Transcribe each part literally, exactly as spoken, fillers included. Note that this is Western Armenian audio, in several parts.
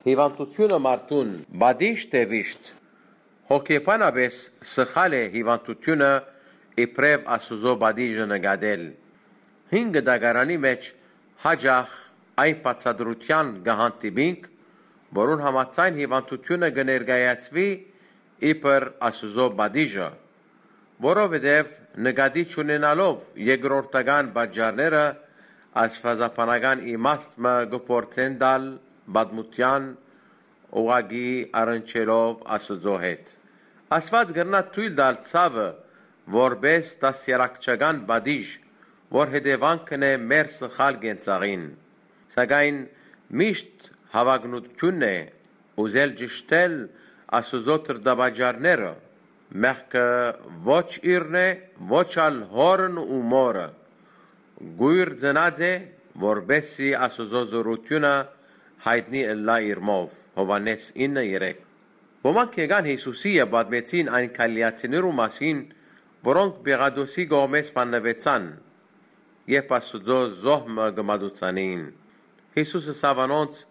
Հիւանդութիւնը մարդուն պատիժ թէ վիշտ։ Հոգեբանապէս սխալ է հիւանդութիւնը իբրեւ Աստուծոյ պատիժը նկատել։ Հին կտակարանի մէջ յաճախ այն բացատրութեան կը հանդիպինք, որուն համաձայն հիւանդութիւնը կը ներկայացուի իբր Աստուծոյ պատիժը, որովհետեւ նկատի չունենալով երկրորդական պատճառները, աստուածաբանական իմաստ մը կը փորձեն տալ պատմութեան ուղղակի առնչելով Աստուծոյ հետ։ Աստուած կրնայ թոյլ տալ ցաւը որպէս դաստիարակչական պատիժ, որ հետեւանքն է մեր սխալ կենցաղին։ Սակայն միշտ հաւագնութիւնն է ուզել ճշդել Աստուծոյ դրդապատճառները։ Մեղքը ոչ իրն է, ոչ ալ հօրն ու մօրը։ Կոյր ծնած է, որպէս զի Աստուծոյ զօրութիւնը յայտնի ըլլայ իրմով։ Յովհաննէս ինը երեք։ Ոմանք եկան Յիսուսի եւ պատմեցին այն գալիլացիներու մասին, որոնք Պիղատոսի կողմէ սպաննուեցան, երբ Աստուծոյ զոհ մը կը մատուցանէին։ Յիսուս ըսաւ անոնց.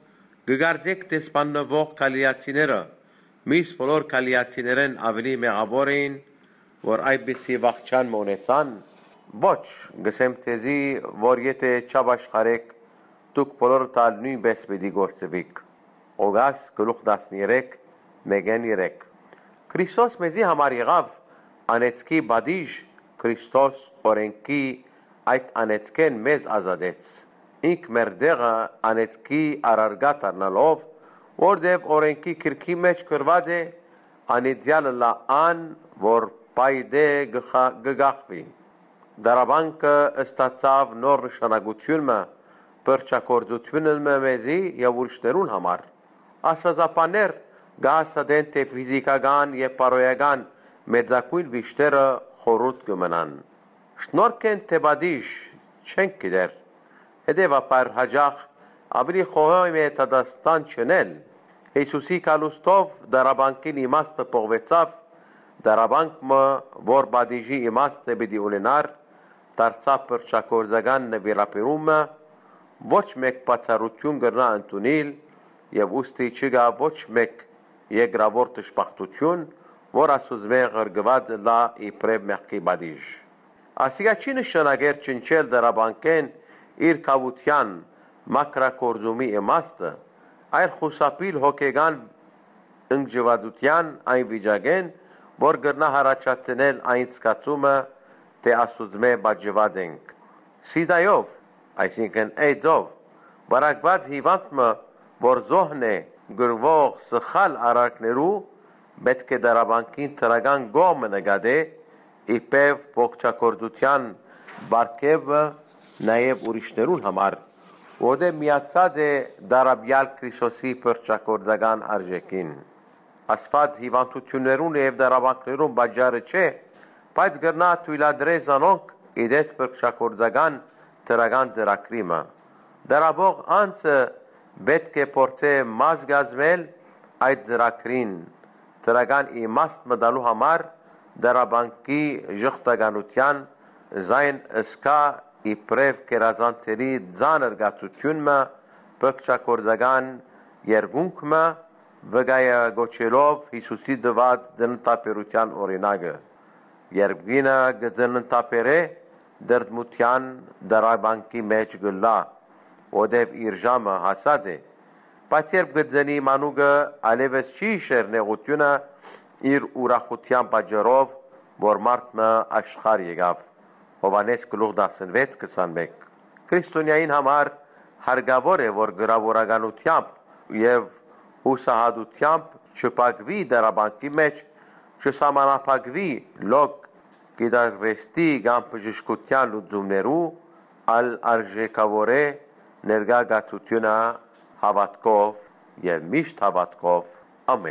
«Կը կարծէք թէ սպաննուող գալիլացիները միս բոլոր գալիլացիներէն աւելի մեղաւոր էին, որ այդպիսի վախճան մը ունեցան։ Ոչ, կ'ըսեմ ձեզի, որ եթէ չապաշխարէք, դուք բոլորդ ալ նոյնպէս պիտի կորսուիք»։ Ղուկաս գլուխ տասներեք, մէկէն երեք։ Քրիստոս մեզի համար եղաւ անեծքի պատիժ, Քրիստոս օրէնքի այդ անեծքէն մեզ ազատեց։ Ինք մեր տեղը անեծքի առարկայ դառնալով, որտեւ օրէնքի գրքի մէջ գրուած է. «Անիծեալ ըլլայ ան, որ պայտէ կը խա-, կը կախուի»։ Դարաբանքը ստացաւ նոր նշանակութիւն մը, փրկչագործութիւն մը մեզի եւ ուրիշներուն համար։ Աստուածաբաններ կը հաստատեն թէ ֆիզիքական եւ բարոյական մեծագոյն վիշտերը խորհուրդ կը մնան։ Շնորհք են թէ պատիժ, չենք գիտեր։ Հետեւաբար յաճախ աւելի խոհեմ է դատաստան չընել։ Յիսուսի գալուստով դարաբանքին իմաստը պողուեցաւ, դարաբանք մը, որ պատիժի իմաստը պիտի ունենար, դարձաւ փրկչագործական նուիրաբերումը, ոչ մէկ բացառութիւն կրնայ ընդունիլ եւ ուստի չկայ ոչ մէկ երկրաւոր դժբախտութիւն, որ Աստուծմէ ղրկուած ըլլայ իբրեւ մեղքի պատիժ։ Ասիկա չի նշանակեր ջնջել դարաբանքէն իր գաւութեան մաքրագործումի իմաստը, այլ խուսափիլ հոգեկան ընկճուածութեան այն վիճակէն, որ կրնայ յառաջացնել այն զգացումը, թէ Աստուծմէ պատժուած ենք։ Սիդայով, այսինքն՝ AIDS-ով վարակուած հիւանդ մը, որ զոհն է կրուող սխալ արարքներու, պէտք է դարաբանքին դրական կողմը նկատէ, իբրեւ փրկչագործութեան պարգեւը նաեւ ուրիշներուն համար, որտեղ միացած է դարաբեալ Քրիստոսի փրկչագործական արժէքին։ Աստուած հիւանդութիւններուն եւ դարաբանքներուն պատճառը չէ, բայց կրնայ թոյլատրե զանոնք ի տես փրկչագործական դրական ծրագրի մը։ Դարաբող անձը պէտք է փորձէ մաս կազմել այդ ծրագրին, դրական իմաստ մտալու համար դարաբանքի ժխտականութեան զայն սկայ իբրեւ գերազանցելի ծանր կացութիւն մը, փրկչագործական երկունք մը, վկայը կոչելով Յիսուսի տուած ծննդաբերութեան օրինակը։ Երբ կինը կը ծննդաբերէ, տրտմութեան դարաբանքի մէջ կ'ըլլայ, որտեւ իր ժամը հասած է, բայց երբ կը ծնի մանուկը, այլեւս չի յիշեր նեղութիւնը իր ուրախութեան պատճառով, որ մարդ մը աշխարհ եկաւ։ Յովհաննէս գլուխ տասնվեց, քսանմէկ։ Քրիստոնեային համար հարկաւոր է, որ գրաւորականութեամբ եւ յուսահատութեամբ չփակուի դարաբանքի մէջ, չսահմանափակուի լոկ գիտարուեստի կամ բժշկութեան լուծումներու, այլ արժեքաւորէ ներկայ կացութիւնը հաւատքով եւ միշտ հաւատքով։ Ամէն։